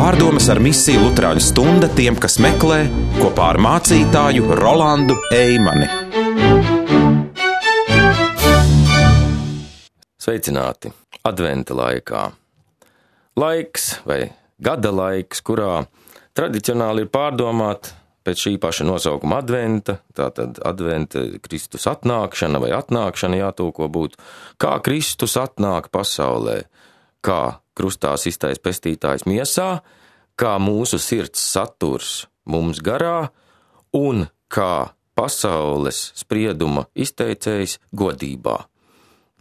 Pārdomas ar misiju Luterāņu stunda tiem, kas meklē, kopā ar mācītāju Rolandu Eimani. Sveicināti adventa laikā. Laiks vai gada laiks, kurā tradicionāli ir pārdomāt pēc šī paša nosaukuma adventa, tātad adventa Kristus atnākšana vai atnākšana jātulko būtu, kā Kristus atnāk pasaulē, kā krustā sistais pestītājs miesā, kā mūsu sirds saturs mums garā un kā pasaules sprieduma izteicējs godībā.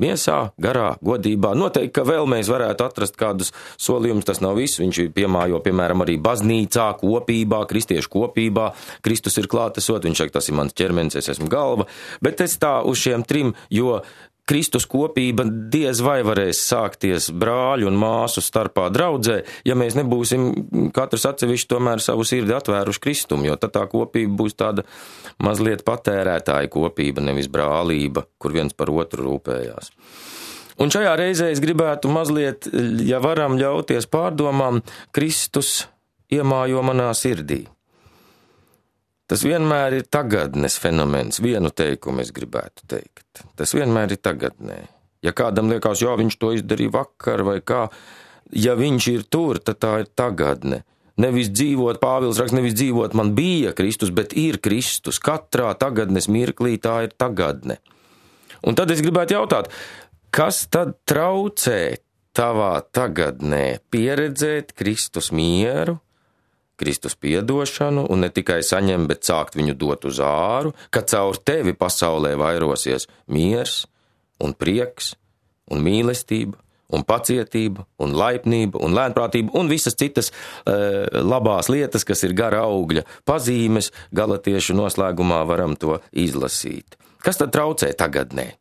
Miesā, garā, godībā. Noteikti, ka vēl mēs varētu atrast kādus solījumus, tas nav viss. Viņš piemājo, piemēram, arī baznīcā, kopībā, kristiešu kopībā. Kristus ir klātesot, viņš saka, tas ir mans ķermenis, es esmu galva. Bet es tā uz šiem trim, jo Kristus kopība diez vai varēs sākties brāļu un māsu starpā draudzē, ja mēs nebūsim katrs atsevišķi tomēr savu sirdi atvēruši Kristumu, jo tad tā kopība būs tāda mazliet patērētāja kopība, nevis brālība, kur viens par otru rūpējās. Un šajā reizē es gribētu mazliet, ja varam ļauties pārdomām, Kristus iemājo manā sirdī. Tas vienmēr ir tagadnes fenomens, vienu teikumu es gribētu teikt. Tas vienmēr ir tagadnē. Ja kādam liekas, jā, viņš to izdarīja vakar vai kā, ja viņš ir tur, tad tā ir tagadne. Nevis dzīvot, Pāvils raksta, nevis dzīvot man bija Kristus, bet ir Kristus. Katrā tagadnes mirklī tā ir tagadne. Un tad es gribētu jautāt, kas tad traucē tavā tagadnē pieredzēt Kristus mieru, Kristus piedošanu un ne tikai saņem, bet sākt viņu dot uz āru, ka caur tevi pasaulē vairosies miers un prieks un mīlestība un pacietība un laipnība un lēnprātība un visas citas labās lietas, kas ir gara augļa pazīmes, galatiešu noslēgumā varam to izlasīt. Kas tad traucē tagadnē?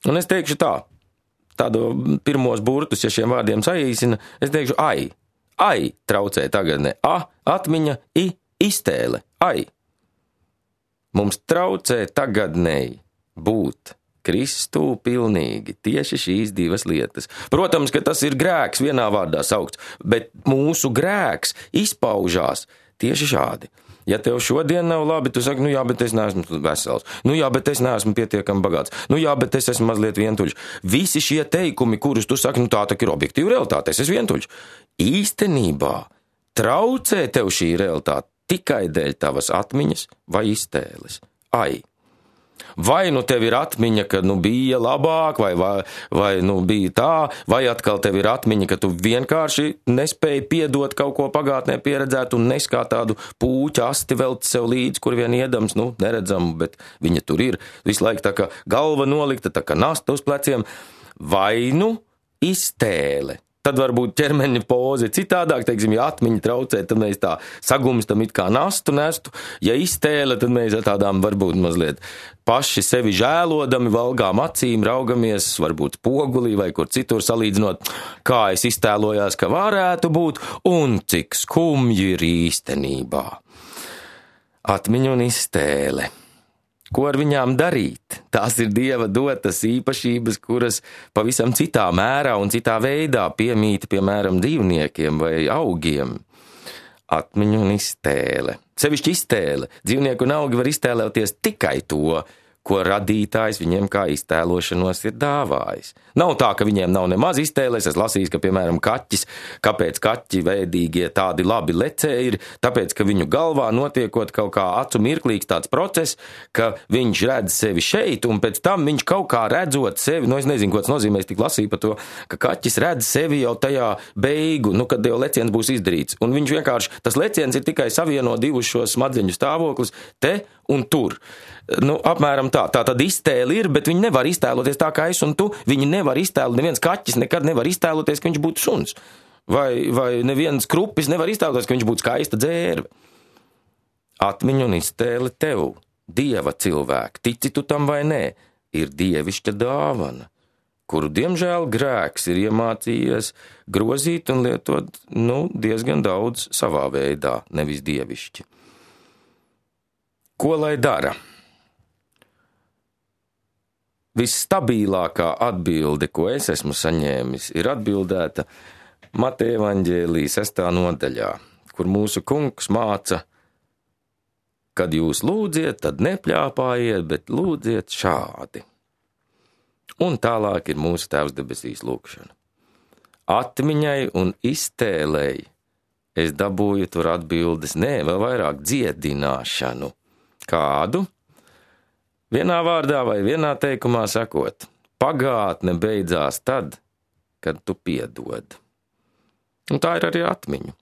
Un es teikšu tādu pirmos burtus, ja šiem vārdiem saīsina, es teikšu ai traucē tagadnē, atmiņa, iztēle, ai. Mums traucē tagadnēji būt Kristū pilnīgi tieši šīs divas lietas. Protams, ka tas ir grēks vienā vārdā saukts, bet mūsu grēks izpaužās tieši šādi. Ja tev šodien nav labi, tu saki, bet es neesmu vesels. Bet es neesmu pietiekami bagāts. Bet es esmu mazliet vientuļš. Visi šie teikumi, kurus tu saki, tā ir objektīva realitāte, es esmu vientuļš. Īstenībā traucē tev šī realitāte tikai dēļ tavas atmiņas vai iztēles. Vai tev ir atmiņa, ka bija labāk, vai bija tā, vai atkal tev ir atmiņa, ka tu vienkārši nespēji piedot kaut ko pagātnē pieredzēt un nes kā tādu pūķa asti velt sev līdzi, kur vien iedams, neredzamu, bet viņa tur ir, visu laiku tā kā galva nolikta, tā kā nasta uz pleciem, vai iztēle. Tad varbūt ķermeņa poze citādāk, teiksim, ja atmiņa traucē, tad mēs tā sagumstam it kā nastu nestu, ja iztēle, tad mēs ar tādām varbūt mazliet paši sevi žēlodami valgām acīm, raugamies, varbūt pogulī vai kur citur salīdzinot, kā es iztēlojās, ka varētu būt un cik skumji ir īstenībā. Atmiņa un iztēle. Ko ar viņām darīt? Tās ir Dieva dotas īpašības, kuras pavisam citā mērā un citā veidā piemīta, piemēram, dzīvniekiem vai augiem. Atmiņa un iztēle. Sevišķi iztēle. Dzīvnieki un augi var iztēloties tikai to, ko radītājs viņiem kā iztēlošanos ir dāvājis. Nav tā, ka viņiem nav nemaz iztēles. Es lasīju, ka, piemēram, kaķis, kāpēc kaķi vēdīgie tādi labi lecēji ir, tāpēc, ka viņu galvā notiekot kaut kā acu mirklīgs tāds process, ka viņš redz sevi šeit, un pēc tam viņš kaut kā redzot sevi, es nezinu, ko tas nozīmē, es tik lasīju par to, ka kaķis redz sevi jau tajā beigu, kad jau leciens būs izdarīts, un viņš vienkārši, tas leciens ir tikai savieno divus šos smadzeņu stāvoklis, te un tur. Apmēram tā. Tā tad iztēle ir, bet viņi nevar iztēloties tā kā es un tu. Viņi nevar iztēlot, neviens kaķis nekad nevar iztēloties, ka viņš būtu suns. Vai neviens krupis nevar iztēloties, ka viņš būtu skaista dzērve. Atmiņa un iztēle tev, Dieva cilvēki, tici tu tam vai nē, ir dievišķa dāvana, kuru, diemžēl, grēks ir iemācījies grozīt un lietot, diezgan daudz savā veidā, nevis dievišķi. Ko lai dara? Visstabilākā atbilde, ko es esmu saņēmis, ir atbildēta Mateja evaņģēlija 6. nodaļā, kur mūsu kungs māca, kad jūs lūdziet, tad nepļāpājiet, bet lūdziet šādi. Un tālāk ir mūsu Tēvs debesīs lūkšana. Atmiņai un iztēlēji es dabūju tur atbildes, vēl vairāk dziedināšanu. Kādu? Vienā vārdā vai vienā teikumā sakot, pagātne beidzās tad, kad tu piedod. Un tā ir arī atmiņa.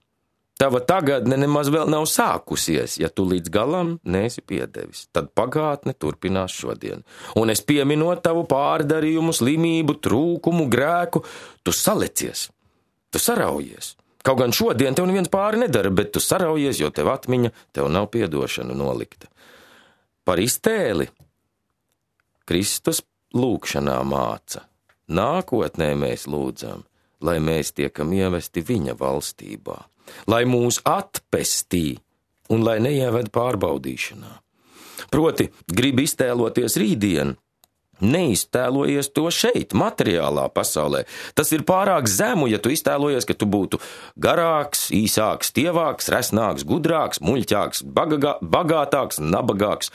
Tava tagadne nemaz vēl nav sākusies, ja tu līdz galam neesi piedevis. Tad pagātne turpinās šodien. Un es pieminot tavu pārdarījumu, slimību, trūkumu, grēku, tu salecies, tu saraujies. Kaut gan šodien tev neviens pāri nedara, bet tu saraujies, jo tev atmiņa, tev nav piedošana nolikta. Par iztēli Kristus lūkšanā māca. Nākotnē mēs lūdzam, lai mēs tiekam ievesti viņa valstībā, lai mūs atpestī un lai neieved pārbaudīšanā. Proti, grib iztēloties rītdienu, neiztēlojies to šeit, materiālā pasaulē. Tas ir pārāk zemu, ja tu iztēlojies, ka tu būtu garāks, īsāks, tievāks, resnāks, gudrāks, muļķāks, bagātāks, nabagāks.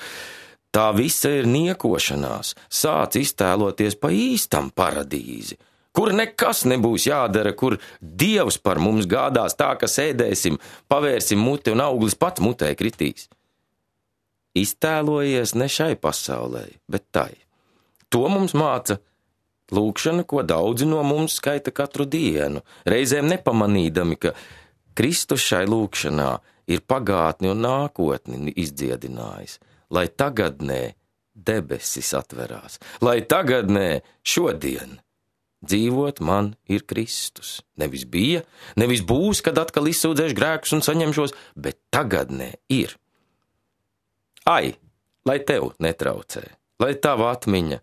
Tā visa ir niekošanās. Sāc iztēloties pa īstam paradīzi, kur nekas nebūs jādara, kur Dievs par mums gādās tā, ka sēdēsim, pavērsim muti un auglis pats mutē kritīs. Iztēlojies ne šai pasaulē, bet tai. To mums māca lūkšana, ko daudzi no mums skaita katru dienu, reizēm nepamanīdami, ka Kristus šai lūkšanā ir pagātni un nākotni izdziedinājis, lai tagadnē debesis atverās, lai tagadnē šodien dzīvot man ir Kristus. Nevis bija, nevis būs, kad atkal izsūdzēšu grēkus un saņemšos, bet tagadnē ir. Ai, lai tev netraucē, lai tava atmiņa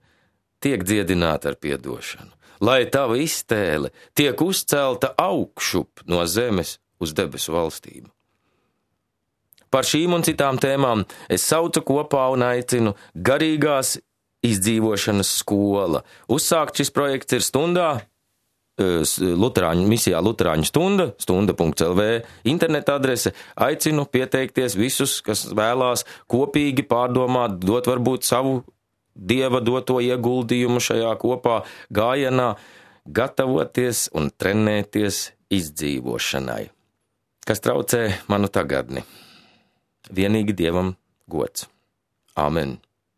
tiek dziedināta ar piedošanu, lai tava iztēle tiek uzcelta augšup no zemes uz debesu valstību. Par šīm un citām tēmām es saucu kopā un aicinu garīgās izdzīvošanas skola. Uzsākt šis projekts ir stundā, misijā Luterāņu stunda, stunda.lv interneta adrese. Aicinu pieteikties visus, kas vēlās kopīgi pārdomāt, dot varbūt savu Dieva doto ieguldījumu šajā kopā gājienā, gatavoties un trenēties izdzīvošanai, kas traucē manu tagadni. Vienīgi Dievam gods. Āmen.